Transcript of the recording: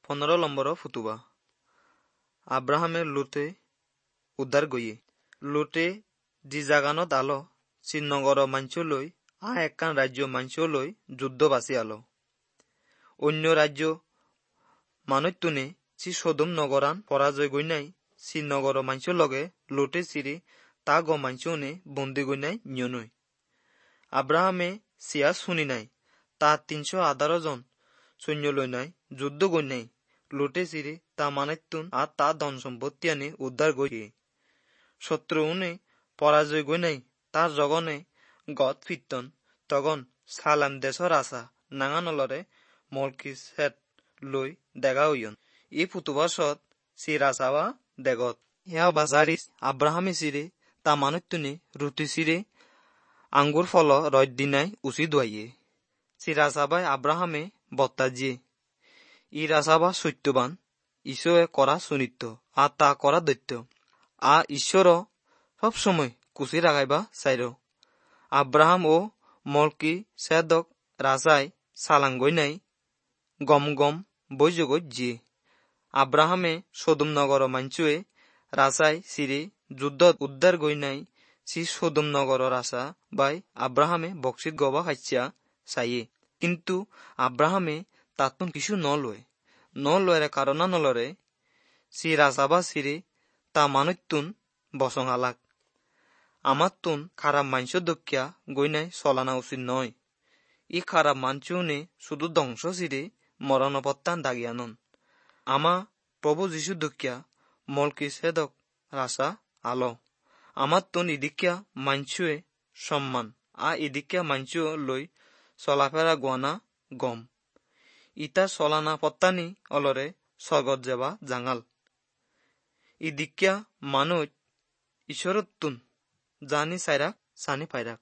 15 নম্বর ফুতুবা। আব্রাহামের লোটে উদ্ধার গইয়ে। লোটে যি জাগানত আলো সি নগর মাঞ্চলৈ আ একখান রাজ্য মাঞ্চলৈ যুদ্ধ বাচি আলো। অন্য রাজ্য মানুষতুনে সি সদম নগরান পরাজয় গইনাই সি নগর মাঞ্চ লগে লোটে চিরি তা গ মাঞ্চনে বন্দি গইনাই নিয়নই। আব্রাহামে সিয়া শুনি নাই তা 318 জন সৈন্য লই নাই যুদ্ধ গইনাই লোটে চিরি তা মানেতুন আর তা ধন সম্পত্তি আনি উদ্ধার গইয়ে। শত্রু উনে পরাজয় গইনাই তার জগনে গদ ফিরতন তখন সালাম দেশর আশা নাঙানলরে মলকি সেট লই দেখা হইয়ন। ই ফুতুবাসত সি রাসাবা দেগত। ইয়া বাজারি আব্রাহামে সিরে তা মানুষতুনে রুটি সিরে আঙ্গুর ফল রয় দিনাই উচিত দোয়াইয়ে। সি রাসাবাই আব্রাহামে বত্তা জিয়ে। ই রাসাবা সত্যবান ঈশ্বরে করা সুনিত্য আর তা করা দৈত্য আ ঈশ্বর সবসময় কুচি রাখাইবা চাইর। আব্রাহাম ও মলকি সেদক রাজাই সালাঙ্গই নাই গম গম বৈযোগত জিয়ে। আব্রাহামে সদম নগর মাঞ্চুয়ে রাজাই সিরে যুদ্ধত উদ্ধার গই নাই সি সদম নগর রাজা বাই আব্রাহামে বক্সিত গবা খাইছিয়া চাইয়ে। কিন্তু আব্রাহামে তাতুন কিছু ন লয় ন লয়রে কারণা নলরে সি রাজা বা সিরে তা মানুষতুন বসং আলাক। আমার তুন খারাপ মাংস দক্ষিয়া গইনাই চলানা উচিত নয়। ই খারাপ মাঞ্চুনে শুধু ধ্বংস সিরে মরণপত্তান দাগিয়ানন। আমা প্রভু যীশু দক্ষিয়া মলকি সেদক রাসা আলো। আমার তুন ইদিকিয়া মাঞ্চুয়ে সম্মান আ ইদিকিয়া মাঞ্চু লই চলাফেরা গোয়ানা গম। ইতা চলানা পত্তানি অলরে স্বর্গত যাবা জাঙাল। ইদিকিয়া মানুষ ঈশ্বরতুন জানি চাইরাক চানি পাইরাক।